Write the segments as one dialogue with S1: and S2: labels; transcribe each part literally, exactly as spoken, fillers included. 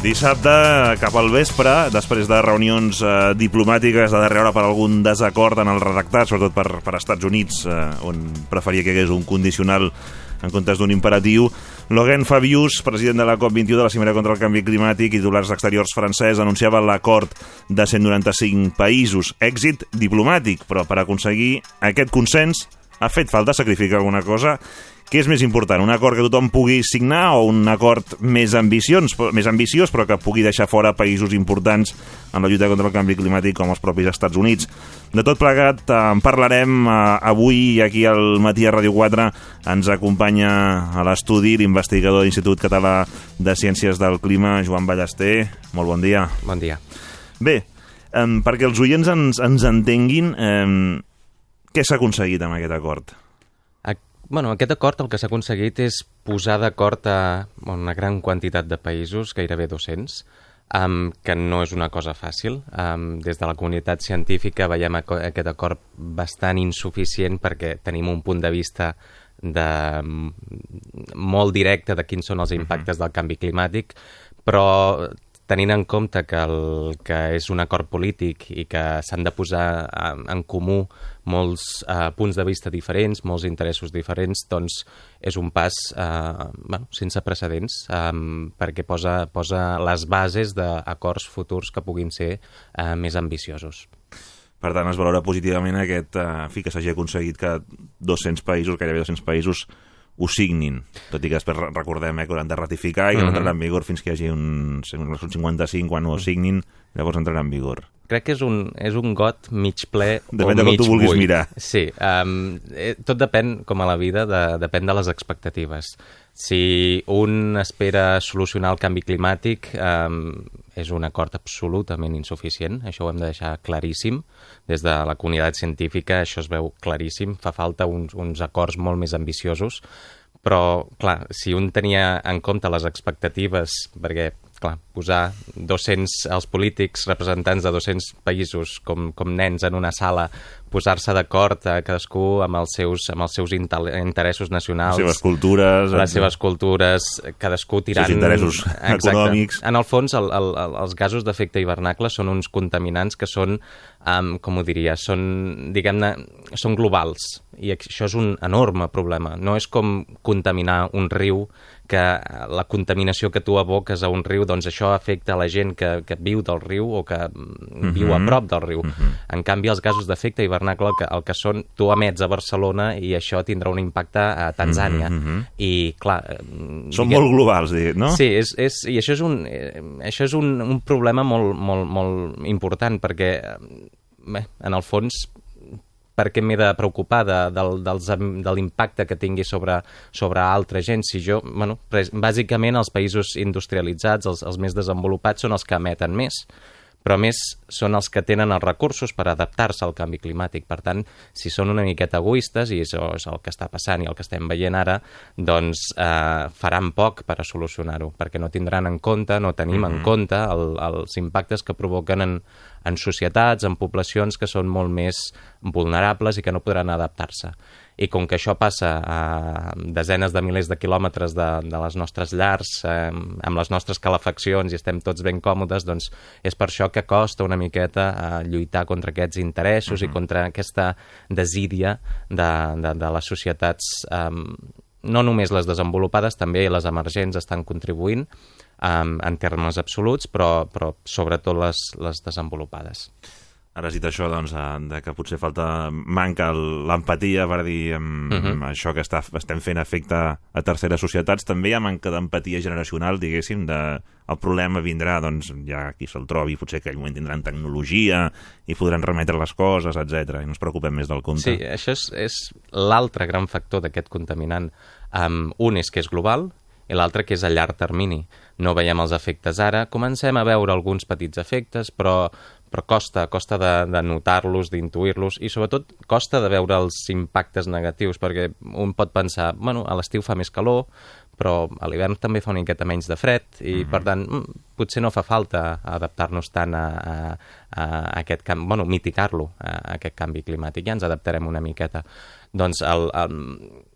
S1: Dissabte, cap al vespre, després de reunions eh, diplomàtiques de darrera hora per algun desacord en el redactat, sobretot per, per Estats Units, eh, on preferia que hi hagués un condicional en comptes d'un imperatiu, Laurent Fabius, president de la COP vint-i-u de la Cimera contra el Canvi Climàtic i titulars exteriors francès, anunciava l'acord de cent noranta-cinc països. Èxit diplomàtic, però per aconseguir aquest consens ha fet falta sacrificar alguna cosa. Què és més important, un acord que tothom pugui signar o un acord més ambiciós, més ambiciós però que pugui deixar fora països importants en la lluita contra el canvi climàtic com els propis Estats Units? De tot plegat en parlarem avui aquí al Matí a Ràdio quatre. Ens acompanya a l'estudi l'investigador de l'Institut Català de Ciències del Clima, Joan Ballester. Molt bon dia.
S2: Bon dia.
S1: Bé, eh, perquè els oients ens, ens entenguin, eh, què s'ha aconseguit amb aquest acord?
S2: Bueno, aquest acord el que s'ha aconseguit és posar d'acord a una gran quantitat de països, gairebé dos-cents, um, que no és una cosa fàcil. Um, des de la comunitat científica veiem aquest acord bastant insuficient perquè tenim un punt de vista de, molt directe de quins són els impactes del canvi climàtic, però tenint en compte que, el, que és un acord polític i que s'han de posar en comú molts eh, punts de vista diferents, molts interessos diferents, doncs és un pas eh, bueno, sense precedents eh, perquè posa, posa les bases d'acords futurs que puguin ser eh, més ambiciosos.
S1: Per tant, es valora positivament aquest, eh, fi, que s'hagi aconseguit que dos-cents països, gairebé dos-cents països, ho signin, tot i que després recordem eh, que hauran de ratificar i que no entrarà en vigor fins que hi hagi un, un cinquanta-cinc, quan ho signin, llavors entrarà en vigor.
S2: Crec que és un, és un got mig ple
S1: depèn
S2: o
S1: de com
S2: mig
S1: tu vulguis
S2: buit.
S1: Mirar.
S2: Sí, um, tot depèn, com a la vida, de, depèn de les expectatives. Si un espera solucionar el canvi climàtic, um, és un acord absolutament insuficient, això ho hem de deixar claríssim. Des de la comunitat científica això es veu claríssim, fa falta uns, uns acords molt més ambiciosos, però, clar, si un tenia en compte les expectatives, perquè clar, posar dos-cents, els polítics, representants de dos-cents països com, com nens en una sala, posar-se d'acord a cadascú amb els seus, amb els seus interessos nacionals,
S1: les seves cultures,
S2: les seves cultures, cadascú tirant...
S1: Els interessos
S2: Exacte. Econòmics. En el fons, el, el, els gasos d'efecte hivernacle són uns contaminants que són, um, com ho diria, són, diguem-ne, són globals, i això és un enorme problema. No és com contaminar un riu, que la contaminació que tu aboques a un riu, doncs això afecta a la gent que, que viu del riu o que mm-hmm. viu a prop del riu. Mm-hmm. En canvi, els gasos d'efecte hivernacle el que, el que són, tu emets a Barcelona i això tindrà un impacte a Tanzània. Mm-hmm. I, clar...
S1: Són diguem, molt globals, no?
S2: Sí, és, és, i això és un, això és un, un problema molt, molt, molt important, perquè, bé, en el fons... per què m'he de preocupar de, de, dels, de l'impacte que tingui sobre, sobre altra gent? Si jo, bueno, bàsicament els països industrialitzats, els, els més desenvolupats, són els que emeten més, però a més són els que tenen els recursos per adaptar-se al canvi climàtic. Per tant, si són una miqueta egoistes, i això és el que està passant i el que estem veient ara, doncs eh, faran poc per a solucionar-ho, perquè no tindran en compte, no tenim mm-hmm. en compte el, els impactes que provoquen en, en societats, en poblacions que són molt més vulnerables i que no podran adaptar-se. I com que això passa a desenes de milers de quilòmetres de, de les nostres llars, eh, amb les nostres calefaccions i estem tots ben còmodes, doncs és per això que costa una miqueta eh, lluitar contra aquests interessos uh-huh. i contra aquesta desídia de, de, de les societats, eh, no només les desenvolupades, també les emergents estan contribuint eh, en termes absoluts, però, però sobretot les, les desenvolupades.
S1: Ara has dit això, doncs, de que potser falta, manca l'empatia per dir um, uh-huh. això que està, estem fent efecte a terceres societats. També hi ha manca d'empatia generacional, diguéssim, de, el problema vindrà, doncs, ja qui se'l trobi, potser que en aquell moment tindran tecnologia i podran remetre les coses, etcètera, i no ens preocupem més del compte.
S2: Sí, això és, és l'altre gran factor d'aquest contaminant. Um, un és que és global, i l'altre que és a llarg termini. No veiem els efectes ara, comencem a veure alguns petits efectes, però, però costa, costa de, de notar-los, d'intuir-los, i sobretot costa de veure els impactes negatius, perquè un pot pensar, bueno, a l'estiu fa més calor, però a l'hivern també fa una miqueta menys de fred, i mm-hmm. per tant, potser no fa falta adaptar-nos tant a, a, a aquest canvi, bueno, mitigar-lo, a aquest canvi climàtic, ja ens adaptarem una miqueta. Doncs el, el,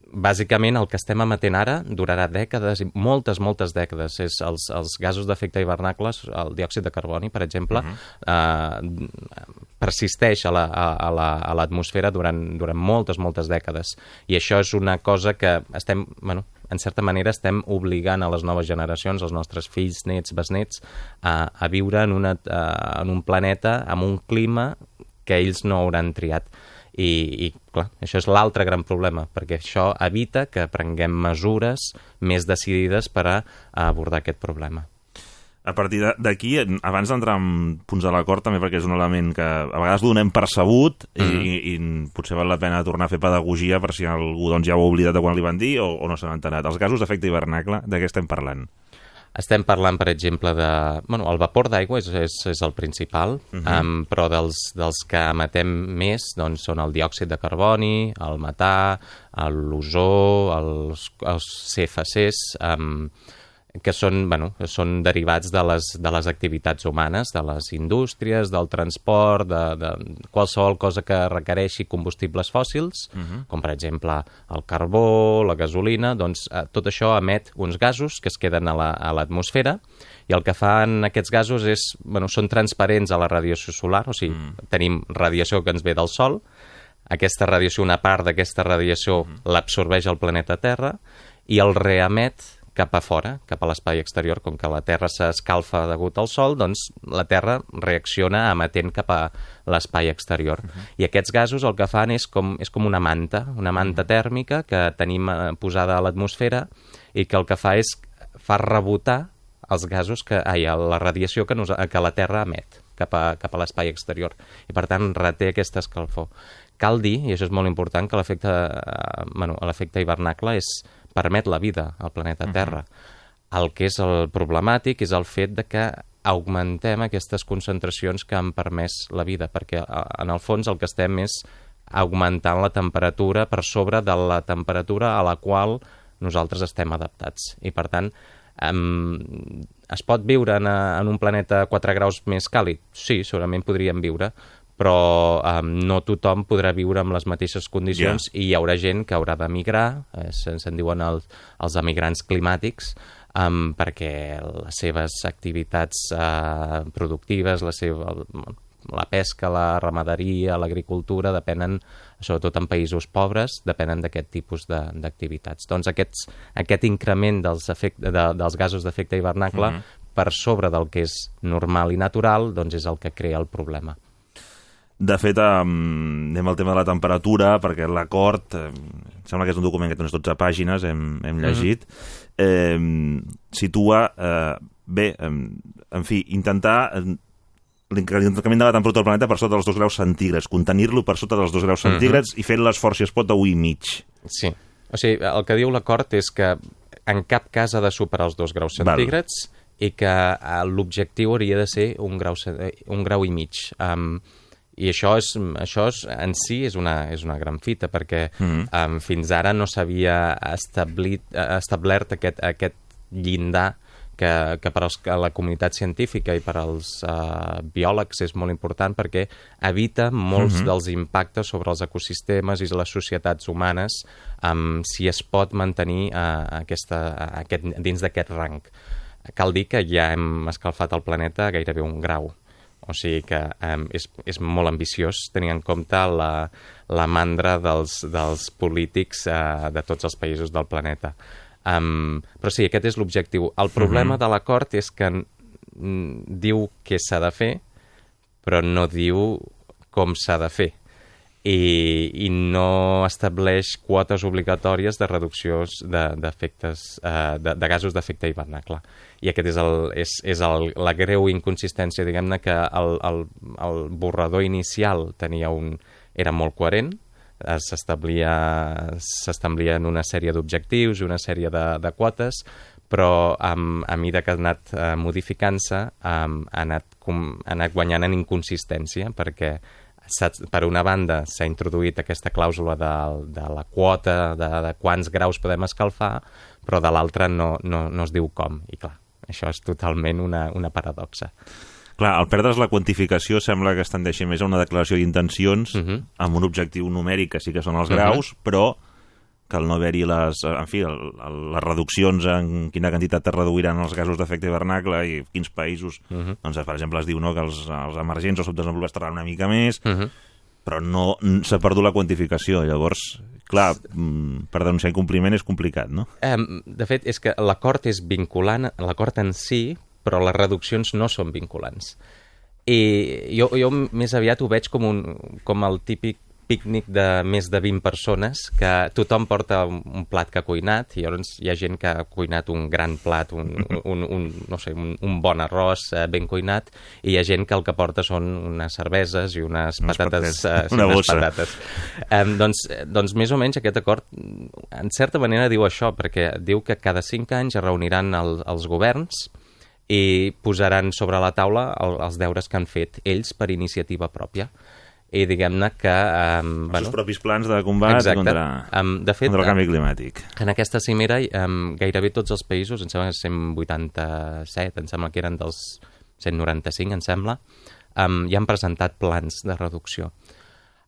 S2: bàsicament el que estem emetent ara durarà dècades, moltes, moltes dècades. És els, els gasos d'efecte hivernacle, el diòxid de carboni, per exemple, uh-huh. eh, persisteix a, la, a, la, a l'atmosfera durant, durant moltes, moltes dècades. I això és una cosa que estem, bueno, en certa manera estem obligant a les noves generacions, els nostres fills, nets, besnets, a, a viure en, una, a, en un planeta amb un clima que ells no hauran triat. I, i clar, això és l'altre gran problema, perquè això evita que prenguem mesures més decidides per a, a abordar aquest problema.
S1: A partir d'aquí, abans d'entrar en punts de l'acord, també perquè és un element que a vegades donem percebut mm. i, i potser val la pena tornar a fer pedagogia per si algú doncs, ja ho ha oblidat de quan li van dir o, o no se n'ha enterat. Els gasos d'efecte hivernacle, de què estem parlant?
S2: Estem parlant, per exemple, de... Bueno, el vapor d'aigua és, és, és el principal, uh-huh. um, però dels, dels que emetem més doncs, són el diòxid de carboni, el metà, l'ozó, els, els C F Cs, um, que són, bueno, són derivats de les, de les activitats humanes, de les indústries, del transport, de, de qualsevol cosa que requereixi combustibles fòssils, uh-huh. com per exemple el carbó, la gasolina, doncs eh, tot això emet uns gasos que es queden a, la, a l'atmosfera i el que fan aquests gasos és, bueno, són transparents a la radiació solar, o sigui, uh-huh. tenim radiació que ens ve del Sol, aquesta radiació, una part d'aquesta radiació uh-huh. l'absorbeix el planeta Terra i el reemet cap a fora, cap a l'espai exterior. Com que la Terra s'escalfa degut al Sol, doncs la Terra reacciona emetent cap a l'espai exterior. Uh-huh. I aquests gasos el que fan és com, és com una manta, una manta tèrmica que tenim posada a l'atmosfera i que el que fa és fa rebotar els gasos, que, ai, la radiació que, nos, que la Terra emet cap a, cap a l'espai exterior. I per tant reté aquesta escalfor. Cal dir, i això és molt important, que l'efecte, eh, bueno, l'efecte hivernacle és permet la vida al planeta Terra. Uh-huh. El que és el problemàtic és el fet de que augmentem aquestes concentracions que han permès la vida, perquè en el fons el que estem és augmentant la temperatura per sobre de la temperatura a la qual nosaltres estem adaptats. I per tant, um, es pot viure en, a, en un planeta quatre graus més càlid? Sí, segurament podríem viure, però um, no tothom podrà viure amb les mateixes condicions yeah. i hi haurà gent que haurà d'emigrar, eh, se'n se diuen els, els emigrants climàtics, um, perquè les seves activitats uh, productives, la, seva, la pesca, la ramaderia, l'agricultura, depenen, sobretot en països pobres, depenen d'aquest tipus de, d'activitats. Doncs aquests, aquest increment dels, efecte, de, dels gasos d'efecte hivernacle mm-hmm. per sobre del que és normal i natural, doncs és el que crea el problema.
S1: De fet, um, anem al tema de la temperatura, perquè l'acord, eh, sembla que és un document que té unes dotze pàgines, hem, hem llegit, mm. eh, situa, eh, bé, eh, en fi, intentar eh, l'increment de la temperatura del planeta per sota dels dos graus centígrads, contenir-lo per sota dels dos graus centígrads mm-hmm. i fent l'esforç, si es pot, de u i mig.
S2: Sí, o sigui, el que diu l'acord és que en cap cas ha de superar els dos graus centígrads Val. I que eh, l'objectiu hauria de ser un grau, un grau i mig. Um, I això, és, això és, en si és una, és una gran fita, perquè mm. um, fins ara no s'havia establit, establert aquest, aquest llindar que, que per als, a la comunitat científica i per als uh, biòlegs és molt important, perquè evita molts mm-hmm. dels impactes sobre els ecosistemes i les societats humanes um, si es pot mantenir uh, aquesta, aquest, dins d'aquest rang. Cal dir que ja hem escalfat el planeta a gairebé un grau. O sigui que um, és, és molt ambiciós tenir en compte la, la mandra dels, dels polítics uh, de tots els països del planeta. Um, però sí, aquest és l'objectiu. El problema uh-huh. de l'acord és que n- diu què s'ha de fer, però no diu com s'ha de fer. I, i no estableix quotes obligatòries de reducció de, d'efectes, uh, de, de gasos d'efecte hivernacle. I aquest és, el, és, és el, la greu inconsistència, diguem-ne, que el, el, el borrador inicial tenia un, era molt coherent, s'establia, s'establien una sèrie d'objectius i una sèrie de, de quotes, però um, a mesura que ha anat uh, modificant-se um, ha, anat, com, ha anat guanyant en inconsistència, perquè per una banda s'ha introduït aquesta clàusula de, de la quota de, de quants graus podem escalfar, però de l'altra no, no, no es diu com. I clar, això és totalment una, una paradoxa.
S1: Clar, al perdre's la quantificació sembla que es tendeixi més a una declaració d'intencions uh-huh. amb un objectiu numèric que sí que són els graus, uh-huh. però que al no haver-hi les, en fi, el, el, les reduccions en quina quantitat es reduiran els gasos d'efecte hivernacle i quins països, uh -huh. doncs per exemple es diu, no?, que els, els emergents o subdesenvolupats tardaran una mica més, uh -huh. però no s'ha perdut la quantificació. Llavors, clar, per denunciar incompliment és complicat, no?
S2: Um, de fet, és que l'acord és vinculant, l'acord en si, però les reduccions no són vinculants. I jo, jo més aviat ho veig com, un, com el típic pícnic de més de vint persones, que tothom porta un plat que ha cuinat, i llavors hi ha gent que ha cuinat un gran plat, un, un, un, no sé, un, un bon arròs eh, ben cuinat, i hi ha gent que el que porta són unes cerveses i unes
S1: unes
S2: patates.
S1: patates.
S2: Eh,
S1: Una
S2: unes
S1: bossa.
S2: patates. Eh, doncs, doncs més o menys aquest acord, en certa manera diu això, perquè diu que cada cinc anys es reuniran el, els governs i posaran sobre la taula el, els deures que han fet ells per iniciativa pròpia. I diguem-ne que... Um,
S1: Els
S2: bueno,
S1: seus propis plans de combat
S2: exacte.
S1: contra,
S2: um, de fet,
S1: contra el canvi climàtic.
S2: En aquesta cimera, um, gairebé tots els països, em sembla que cent vuitanta-set, em sembla que eren dels cent noranta-cinc, em sembla, um, ja han presentat plans de reducció.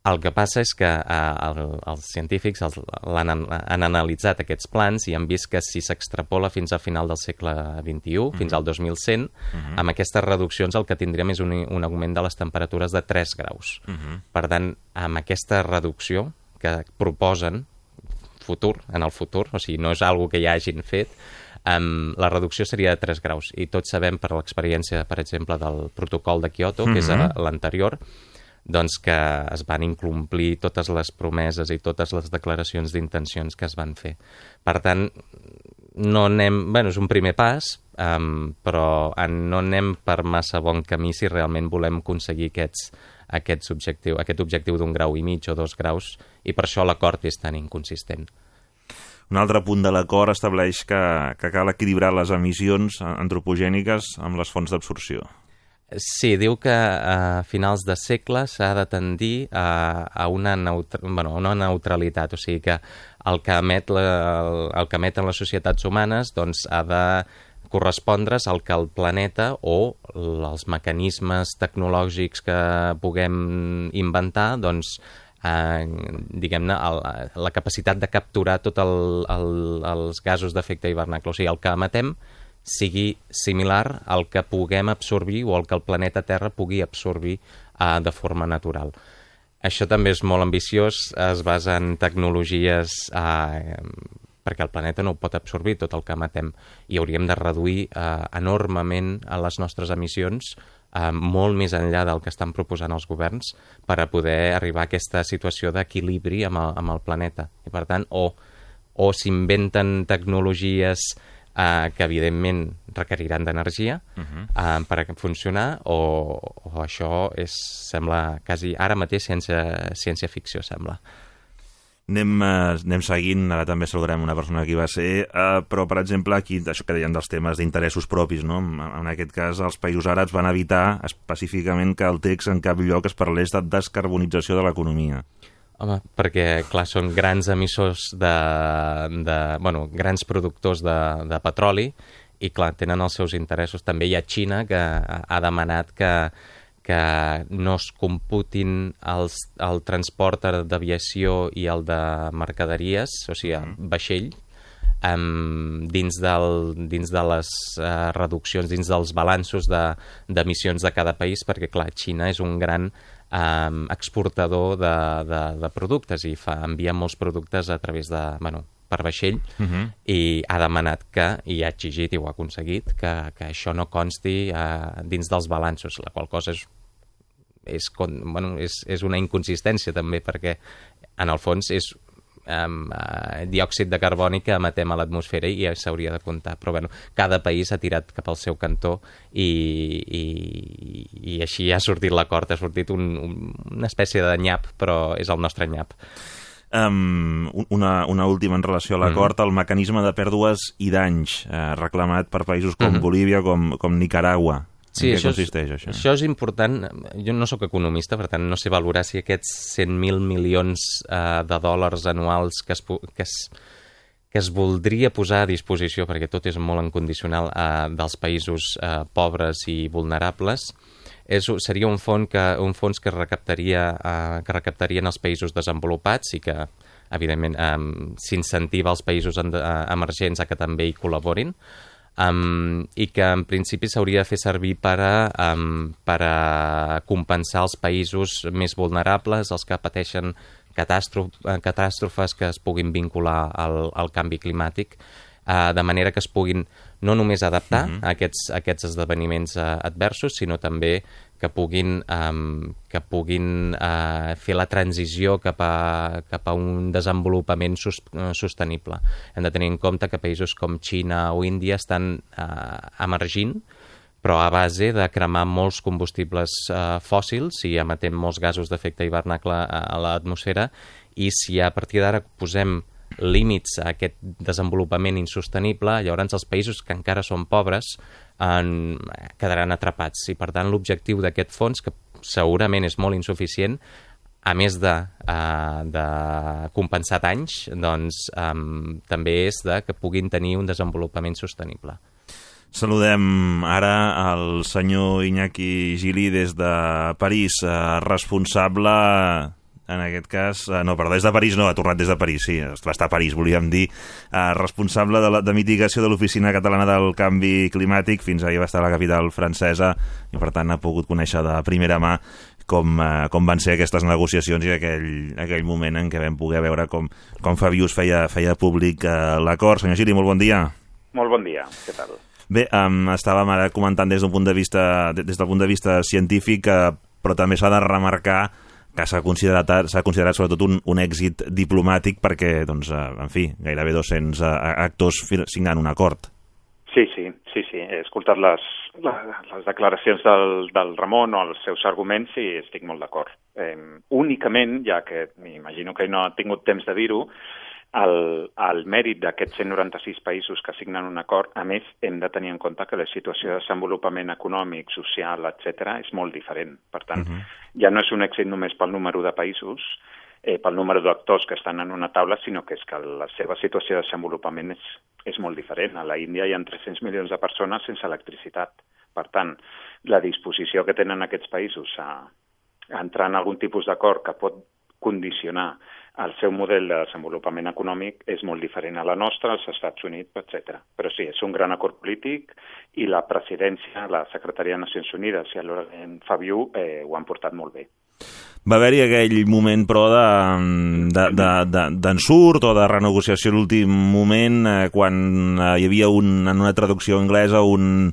S2: El que passa és que uh, el, els científics els, han, han analitzat aquests plans i han vist que si s'extrapola fins al final del segle vint-i-u, mm-hmm. fins al dos mil cent, mm-hmm. amb aquestes reduccions el que tindríem és un, un augment de les temperatures de tres graus. Mm-hmm. Per tant, amb aquesta reducció que proposen futur, en el futur, o sigui, no és algo que ja hagin fet, um, la reducció seria de tres graus. I tots sabem per l'experiència, per exemple, del protocol de Kyoto, mm-hmm. que és l'anterior, doncs que es van incomplir totes les promeses i totes les declaracions d'intencions que es van fer. Per tant, no anem... Bueno, és un primer pas, um, però no anem per massa bon camí si realment volem aconseguir aquests, aquests objectiu, aquest objectiu d'un grau i mig o dos graus, i per això l'acord és tan inconsistent.
S1: Un altre punt de l'acord estableix que, que cal equilibrar les emissions antropogèniques amb les fonts d'absorció.
S2: Sí, diu que a finals de segle s'ha de tendir a, a una, neutra, bueno, una neutralitat, o sigui que el que, emet la, el que emeten les societats humanes doncs, ha de correspondre's al que el planeta o els mecanismes tecnològics que puguem inventar, doncs, eh, diguem-ne, la capacitat de capturar tots el, el, els gasos d'efecte hivernacle, o sigui, el que emetem sigui similar al que puguem absorbir o al que el planeta Terra pugui absorbir uh, de forma natural. Això també és molt ambiciós, es basa en tecnologies uh, perquè el planeta no ho pot absorbir tot el que emetem i hauríem de reduir uh, enormement a les nostres emissions uh, molt més enllà del que estan proposant els governs per a poder arribar a aquesta situació d'equilibri amb, el, amb el planeta. I per tant, o, o s'inventen tecnologies Uh, que evidentment requeriran d'energia uh-huh. uh, per a funcionar o, o això és, sembla quasi ara mateix ciència, ciència ficció, sembla.
S1: Anem, uh, anem seguint, ara també saludarem una persona que hi va ser, uh, però per exemple aquí, això que deien dels temes d'interessos propis, no? En, en aquest cas els països àrabs van evitar específicament que el text en cap lloc es parlés de descarbonització de l'economia.
S2: Home, perquè, clar, són grans emissors de... de bueno, grans productors de, de petroli i, clar, tenen els seus interessos. També hi ha Xina, que ha demanat que, que no es computin els, el transport d'aviació i el de mercaderies, o sigui, vaixell, um, dins, del, dins de les uh, reduccions, dins dels balanços d'emissions de, de cada país, perquè, clar, Xina és un gran Um, exportador de, de, de productes i fa, envia molts productes a través de, bueno, per vaixell uh-huh. i ha demanat que, i ha exigit i ho ha aconseguit, que, que això no consti uh, dins dels balanços, la qual cosa és, és, bueno, és, és una inconsistència també, perquè en el fons és Um, uh, diòxid de carboni que emetem a l'atmosfera i ja s'hauria de comptar, però bueno, cada país ha tirat cap al seu cantó i, i, i així ha sortit l'acord, ha sortit un, un, una espècie de nyap, però és el nostre nyap.
S1: Um, una, una última en relació a l'acord, mm-hmm. el mecanisme de pèrdues i danys eh, reclamat per països com mm-hmm. Bolívia, com, com Nicaragua.
S2: Sí,
S1: en què
S2: això
S1: consisteix,
S2: és,
S1: això?
S2: Això és important. Jo no sóc economista, per tant no sé valorar si aquests cent mil milions uh, de dòlars anuals que es, que, es, que es voldria posar a disposició, perquè tot és molt incondicional, uh, dels països uh, pobres i vulnerables, és, seria un fons que, un fons que recaptaria, uh, que recaptarien els països desenvolupats i que evidentment, um, s'incentiva els països en, uh, emergents a que també hi col·laborin, um, i que en principi s'hauria de fer servir per a, um, per a compensar els països més vulnerables, els que pateixen catàstrofes que es puguin vincular al, al canvi climàtic, uh, de manera que es puguin no només adaptar uh-huh. a, aquests, a aquests esdeveniments uh, adversos, sinó també que puguin, um, que puguin uh, fer la transició cap a, cap a un desenvolupament sus, uh, sostenible. Hem de tenir en compte que països com Xina o Índia estan uh, emergint, però a base de cremar molts combustibles uh, fòssils i emetent molts gasos d'efecte hivernacle a, a l'atmosfera, i si a partir d'ara posem límits a aquest desenvolupament insostenible, llavors els països que encara són pobres en, quedaran atrapats. I per tant l'objectiu d'aquest fons, que segurament és molt insuficient, a més de, uh, de compensar danys, doncs um, també és de que puguin tenir un desenvolupament sostenible.
S1: Saludem ara al senyor Iñaki Gili des de París, eh, responsable, en aquest cas, eh, no, perdó, des de París no, ha tornat des de París, sí, va estar a París, volíem dir, eh, responsable de, la, de mitigació de l'Oficina Catalana del Canvi Climàtic, fins ahir va estar a la capital francesa i per tant ha pogut conèixer de primera mà com, eh, com van ser aquestes negociacions i aquell, aquell moment en què vam poder veure com, com Fabius feia, feia públic eh, l'acord. Senyor Gili, molt bon dia.
S3: Molt bon dia, què tal?
S1: Bé, um, estàvem ara comentant des d'un punt de vista, des del punt de vista científic, eh, però també s'ha de remarcar que s'ha considerat, s'ha considerat sobretot un, un èxit diplomàtic perquè, doncs, eh, en fi, gairebé dos-cents eh, actors signant un acord.
S3: Sí, sí, sí, sí. He escoltat les, les, les declaracions del, del Ramon o els seus arguments i estic molt d'acord. Eh, únicament, ja que m'imagino que no ha tingut temps de dir-ho, El, el mèrit d'aquests cent noranta-sis països que signen un acord, a més, hem de tenir en compte que la situació de desenvolupament econòmic, social, etcètera, és molt diferent. Per tant, uh-huh. ja no és un èxit només pel número de països, eh, pel número d'actors que estan en una taula, sinó que és que la seva situació de desenvolupament és, és molt diferent. A la Índia hi ha tres-cents milions de persones sense electricitat. Per tant, la disposició que tenen aquests països a, a entrar en algun tipus d'acord que pot condicionar el seu model de desenvolupament econòmic és molt diferent a la nostra, als Estats Units, etcètera. Però sí, és un gran acord polític i la presidència, la Secretaria de Nacions Unides i en Fabiu eh, ho han portat molt bé.
S1: Va haver-hi aquell moment, però, d'ensurt o de renegociació a l'últim moment, eh, quan eh, hi havia un, en una traducció anglesa un...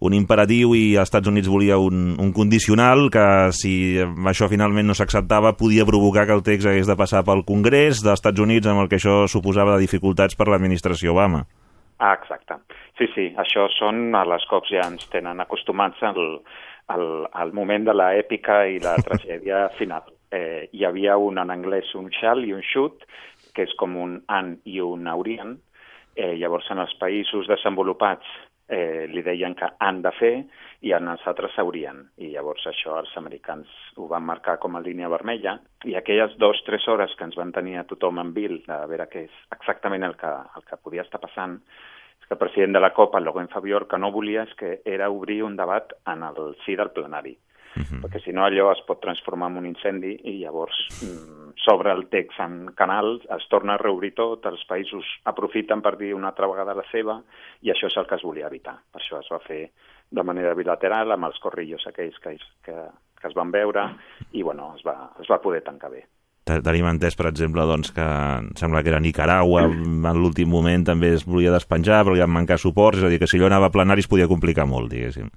S1: un imperatiu i els Estats Units volia un, un condicional que, si això finalment no s'acceptava, podia provocar que el text hagués de passar pel Congrés dels Estats Units, amb el que això suposava de dificultats per l'administració Obama.
S3: Ah, exacte. Sí, sí, això són, a les cops ja ens tenen acostumats al, al, al moment de l'èpica i la tragèdia final. Eh, hi havia un en anglès, un shall i un should, que és com un han i un haurien. Eh, llavors, en els països desenvolupats Eh, li deien que han de fer i en els altres s'haurien. I llavors això els americans ho van marcar com a línia vermella i aquelles dues o tres hores que ens van tenir a tothom en vil de veure què és exactament el que, el que podia estar passant, és que el president de la COP, el Laurent Fabius, que no volia és que era obrir un debat en el si del plenari. Uh-huh. Perquè si no allò es pot transformar en un incendi i llavors mm, s'obre el text en canal, es torna a reobrir tot, els països aprofiten per dir una altra vegada la seva i això és el que es volia evitar. Per això es va fer de manera bilateral amb els corrillos aquells que, que, que es van veure i bueno, es va, es va poder tancar bé.
S1: Tenim entès, per exemple, doncs, que sembla que era Nicaragua, en l'últim moment també es volia despenjar, però li van mancar suports, és a dir, que si allò anava a plenari es podia complicar molt, diguéssim.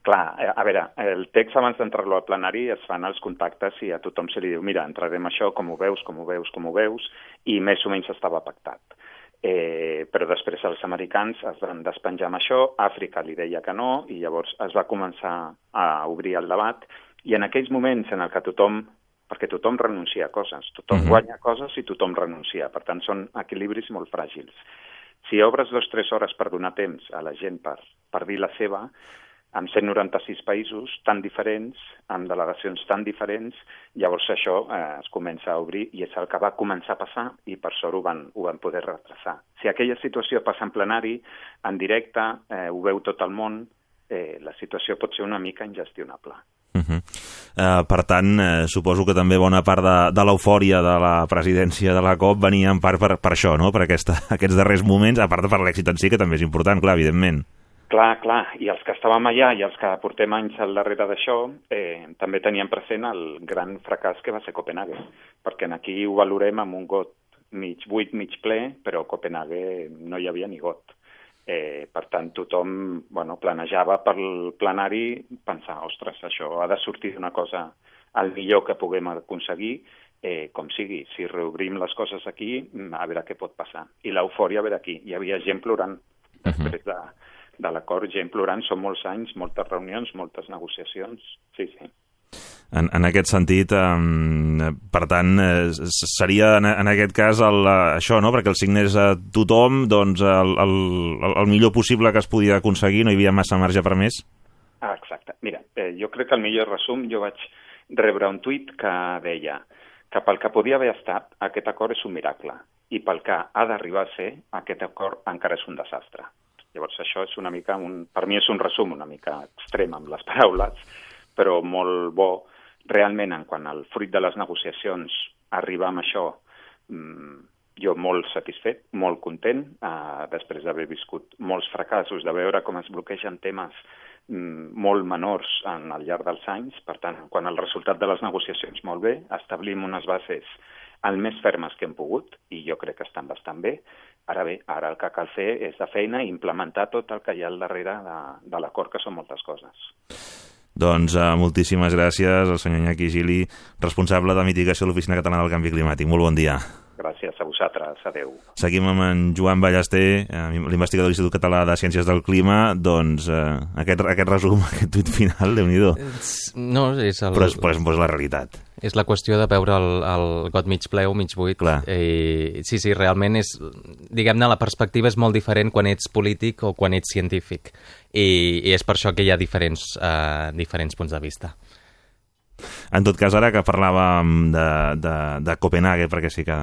S3: Clar, a veure, el text abans d'entrar-lo al plenari es fan els contactes i a tothom se li diu, mira, entrarem això, com ho veus, com ho veus, com ho veus, i més o menys estava pactat. Eh, però després els americans es van despenjar amb això, Àfrica li deia que no, i llavors es va començar a obrir el debat, i en aquells moments en el que tothom, perquè tothom renuncia a coses, tothom uh-huh. guanya coses i tothom renuncia, per tant són equilibris molt fràgils. Si obres dues o tres hores per donar temps a la gent per, per dir la seva, amb cent noranta-sis països tan diferents, amb delegacions tan diferents, llavors això eh, es comença a obrir i és el que va començar a passar i per sort ho van, ho van poder retrasar. Si aquella situació passa en plenari, en directe, eh, ho veu tot el món, eh, la situació pot ser una mica ingestionable.
S1: Uh-huh. Eh, per tant, eh, suposo que també bona part de, de l'eufòria de la presidència de la COP venia en part per, per això, no? Per aquesta, aquests darrers moments, a part de per l'èxit en si, que també és important, clar, evidentment.
S3: Clar, clar, i els que estàvem allà i els que portem anys al darrere d'això eh, també teníem present el gran fracàs que va ser Copenhague, perquè aquí ho valorem amb un got mig buit, mig ple, però a Copenhague no hi havia ni got. Eh, per tant, tothom bueno, planejava pel plenari pensar, ostres, això ha de sortir d'una cosa el millor que puguem aconseguir, eh, com sigui. Si reobrim les coses aquí, a veure què pot passar. I l'eufòria, a veure aquí. Hi havia gent plorant després de, de l'acord, gent plorant, són molts anys, moltes reunions, moltes negociacions. Sí, sí.
S1: En, en aquest sentit, eh, per tant, eh, seria en, en aquest cas el, això, no? Perquè el signés a tothom, doncs el, el, el millor possible que es podia aconseguir, no hi havia massa marge per més?
S3: Ah, exacte. Mira, eh, jo crec que el millor resum, jo vaig rebre un tuit que deia que pel que podia haver estat, aquest acord és un miracle, i pel que ha d'arribar a ser, aquest acord encara és un desastre. Llavors això és una mica, un, per mi és un resum una mica extrem amb les paraules, però molt bo. Realment, en quant al fruit de les negociacions, arribar amb això, jo molt satisfet, molt content, eh, després d'haver viscut molts fracassos, de veure com es bloquegen temes molt menors en, al llarg dels anys. Per tant, quan el resultat de les negociacions molt bé, establim unes bases el més fermes que hem pogut, i jo crec que estan bastant bé. Ara bé, ara el que cal fer és de feina i implementar tot el que hi ha al darrere de, de l'acord, que són moltes coses.
S1: Doncs uh, moltíssimes gràcies al senyor Iñaki Gili, responsable de mitigació de l'Oficina Catalana del Canvi Climàtic. Molt bon dia.
S3: Gràcies a vosaltres. Adéu.
S1: Seguim amb en Joan Ballester, l'investigador de l'Institut Català de Ciències del Clima. Doncs uh, aquest, aquest resum, aquest tuit final, Déu-n'hi-do.
S2: No, és el...
S1: Però és, però és, però és la realitat.
S2: És la qüestió de veure el, el got mig ple o mig buit.
S1: Clar.
S2: Eh, sí, sí, realment és... Diguem-ne, la perspectiva és molt diferent quan ets polític o quan ets científic. I, i és per això que hi ha diferents, uh, diferents punts de vista.
S1: En tot cas, ara que parlàvem de, de, de Copenhague, perquè sí que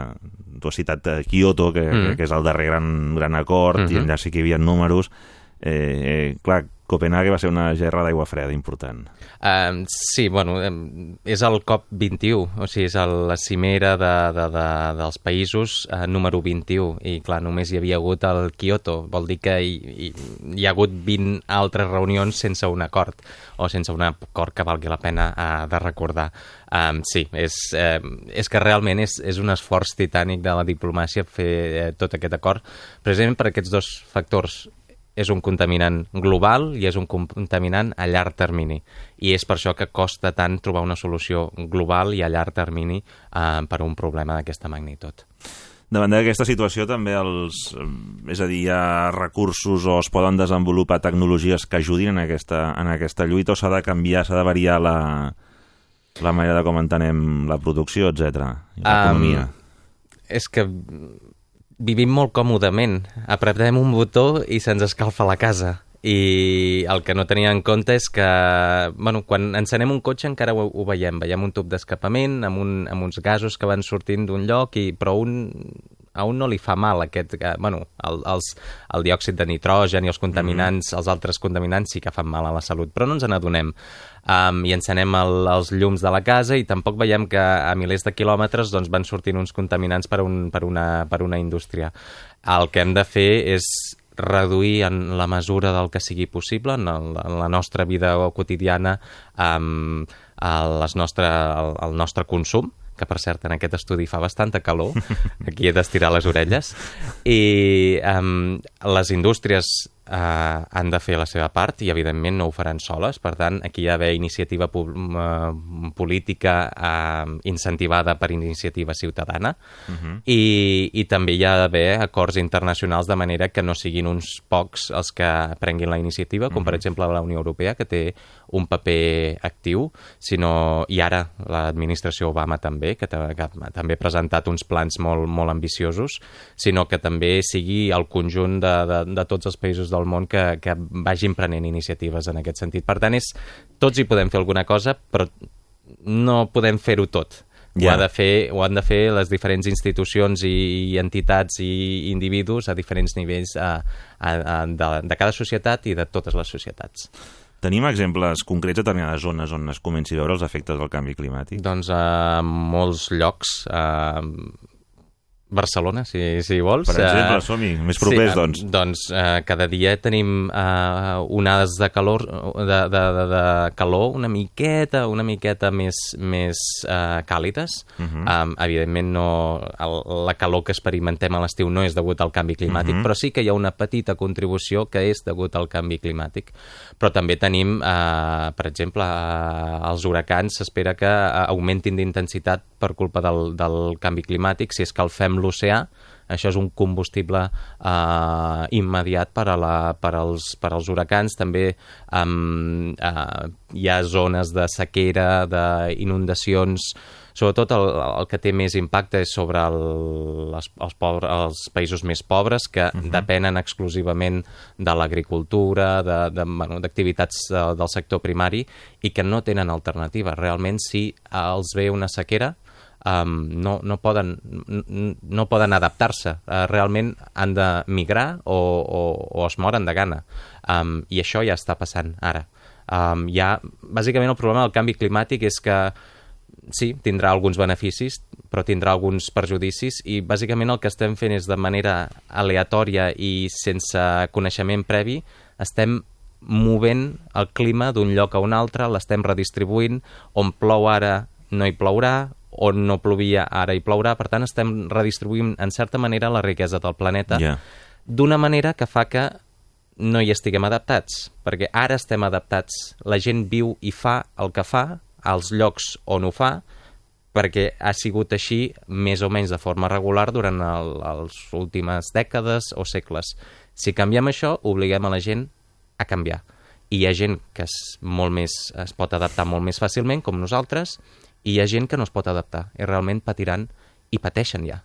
S1: tu has citat Kyoto, que, mm. que és el darrer gran, gran acord, mm-hmm. i allà sí que hi havia números. Eh, eh, clar, Copenhague va ser una gerra d'aigua freda important.
S2: Uh, sí, bueno, és el COP vint-i-u, o sigui, és el, la cimera de, de, de, dels països uh, número vint-i-u, i clar, només hi havia hagut el Kyoto, vol dir que hi, hi, hi ha hagut vint altres reunions sense un acord, o sense un acord que valgui la pena uh, de recordar. Um, sí, és, uh, és que realment és, és un esforç titànic de la diplomàcia fer uh, tot aquest acord, precisament per aquests dos factors. És un contaminant global i és un contaminant a llarg termini. I és per això que costa tant trobar una solució global i a llarg termini eh, per a un problema d'aquesta magnitud.
S1: Davant d'aquesta situació també els, és a dir, hi ha recursos o es poden desenvolupar tecnologies que ajudin en aquesta, en aquesta lluita, o s'ha de canviar, s'ha de variar la, la manera de com entenem la producció, etcètera, i l'economia?
S2: Um, és que vivim molt còmodament. Apretem un botó i se'ns escalfa la casa. I el que no tenia en compte és que, bueno, quan encenem un cotxe encara ho, ho veiem. Veiem un tub d'escapament amb, un, amb uns gasos que van sortint d'un lloc, i, però un, a un no li fa mal aquest, bueno, el, els, el diòxid de nitrogen i els contaminants, mm. els altres contaminants sí que fan mal a la salut, però no ens n'adonem. Um, i encenem el, els llums de la casa i tampoc veiem que a milers de quilòmetres doncs, van sortint uns contaminants per, un, per, una, per una indústria. El que hem de fer és reduir en la mesura del que sigui possible en, el, en la nostra vida quotidiana um, el, les nostre, el, el nostre consum, que per cert en aquest estudi fa bastanta calor, aquí he d'estirar les orelles, i um, les indústries Uh, han de fer la seva part i evidentment no ho faran soles, per tant aquí hi ha d'haver iniciativa uh, política uh, incentivada per iniciativa ciutadana, uh-huh. i, i també hi ha d'haver acords internacionals de manera que no siguin uns pocs els que prenguin la iniciativa, com uh-huh. per exemple la Unió Europea, que té un paper actiu, sinó, i ara l'administració Obama també, que, que també ha presentat uns plans molt, molt ambiciosos, sinó que també sigui el conjunt de, de, de tots els països del món que, que vagin prenent iniciatives en aquest sentit. Per tant, és, tots hi podem fer alguna cosa, però no podem fer-ho tot. Yeah. Ho, ha de fer, ho han de fer les diferents institucions i, i entitats i individus a diferents nivells a, a, a, de, de cada societat i de totes les societats.
S1: Tenim exemples concrets de determinades zones on es comenci a veure els efectes del canvi climàtic?
S2: Doncs a molts llocs... A Barcelona, si, si vols.
S1: Per exemple, uh, som-hi, més propers,
S2: sí,
S1: doncs.
S2: Doncs uh, cada dia tenim uh, onades de calor, de, de, de, de calor una miqueta, una miqueta més, més uh, càlides. Uh -huh. um, evidentment, no, el, la calor que experimentem a l'estiu no és degut al canvi climàtic, uh -huh. però sí que hi ha una petita contribució que és degut al canvi climàtic. Però també tenim, uh, per exemple, uh, els huracans s'espera que uh, augmentin d'intensitat per culpa del, del canvi climàtic. Si escalfem l'oceà, això és un combustible eh, immediat per, a la, per, als, per als huracans. També um, eh, hi ha zones de sequera, d'inundacions. Sobretot el, el que té més impacte és sobre el, les, els, pobres, els països més pobres, que uh-huh. depenen exclusivament de l'agricultura, de, de, bueno, d'activitats de, del sector primari, i que no tenen alternativa. Realment, si els ve una sequera, Um, no, no, poden, no poden adaptar-se. Uh, realment han de migrar o, o, o es moren de gana. Um, I això ja està passant ara. Um, ja, bàsicament el problema del canvi climàtic és que sí, tindrà alguns beneficis, però tindrà alguns perjudicis, i bàsicament el que estem fent és de manera aleatòria i sense coneixement previ, estem movent el clima d'un lloc a un altre, l'estem redistribuint, on plou ara no hi plourà, on no plovia ara hi plourà, per tant estem redistribuint en certa manera la riquesa del planeta yeah. d'una manera que fa que no hi estiguem adaptats, perquè ara estem adaptats, la gent viu i fa el que fa als llocs on ho fa, perquè ha sigut així més o menys de forma regular durant el, les últimes dècades o segles. Si canviem això, obliguem a la gent a canviar. I hi ha gent que és molt més, es pot adaptar molt més fàcilment, com nosaltres, i hi ha gent que no es pot adaptar i realment patiran i pateixen ja.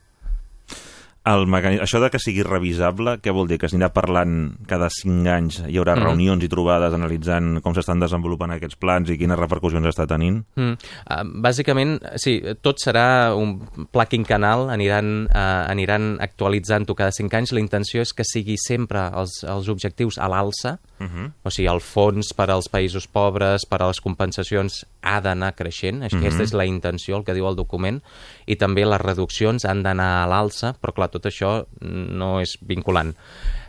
S1: El mecanisme, això de que sigui revisable, què vol dir? Que s'anirà parlant cada cinc anys, hi haurà mm. reunions i trobades analitzant com s'estan desenvolupant aquests plans i quines repercussions està tenint? Mm.
S2: Uh, bàsicament, sí, tot serà un pla quinquennal, aniran, uh, aniran actualitzant-ho cada cinc anys. La intenció és que sigui sempre els, els objectius a l'alça, uh-huh. o sigui, el fons per als països pobres, per a les compensacions, ha d'anar creixent. Aquesta uh-huh. és la intenció, el que diu el document, i també les reduccions han d'anar a l'alça, però clar, tot això no és vinculant.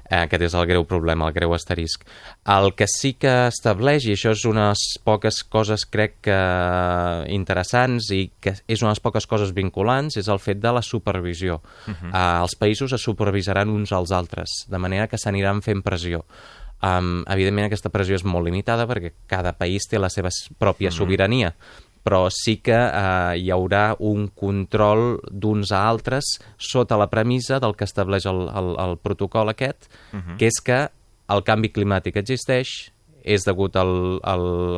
S2: Eh, aquest és el greu problema, el greu asterisc. El que sí que estableix, i això és unes poques coses, crec que interessants, i que és unes poques coses vinculants, és el fet de la supervisió. Uh-huh. Eh, els països es supervisaran uns als altres, de manera que s'aniran fent pressió. Um, evidentment aquesta pressió és molt limitada perquè cada país té la seva pròpia uh-huh. sobirania, però sí que eh, hi haurà un control d'uns a altres sota la premissa del que estableix el, el, el protocol aquest, uh-huh. que és que el canvi climàtic existeix, és degut al, a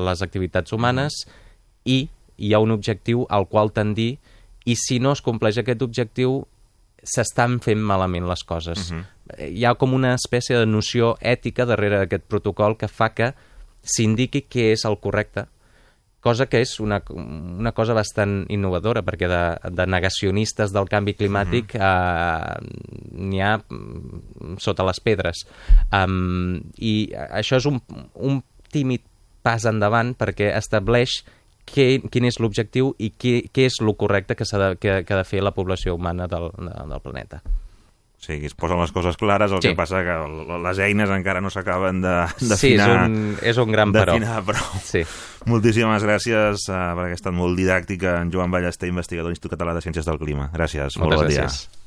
S2: les activitats humanes uh-huh. i hi ha un objectiu al qual tendir, i si no es compleix aquest objectiu s'estan fent malament les coses. Uh-huh. Hi ha com una espècie de noció ètica darrere d'aquest protocol que fa que s'indiqui què és el correcte, cosa que és una, una cosa bastant innovadora, perquè de, de negacionistes del canvi climàtic uh-huh. eh, n'hi ha sota les pedres. Um, I això és un, un tímid pas endavant perquè estableix què, quin és l'objectiu i què, què és el correcte que, s'ha de, que, que ha de fer la població humana del, del planeta.
S1: Sí, es posen les coses clares, el sí. que passa que les eines encara no s'acaben de, d'afinar.
S2: Sí, és un, és un gran però.
S1: Prou.
S2: Sí.
S1: Moltíssimes gràcies uh, perquè ha estat molt didàctica en Joan Ballester, investigador de l'Institut Català de Ciències del Clima. Gràcies,
S2: Moltes
S1: molt bon
S2: gràcies.
S1: dia.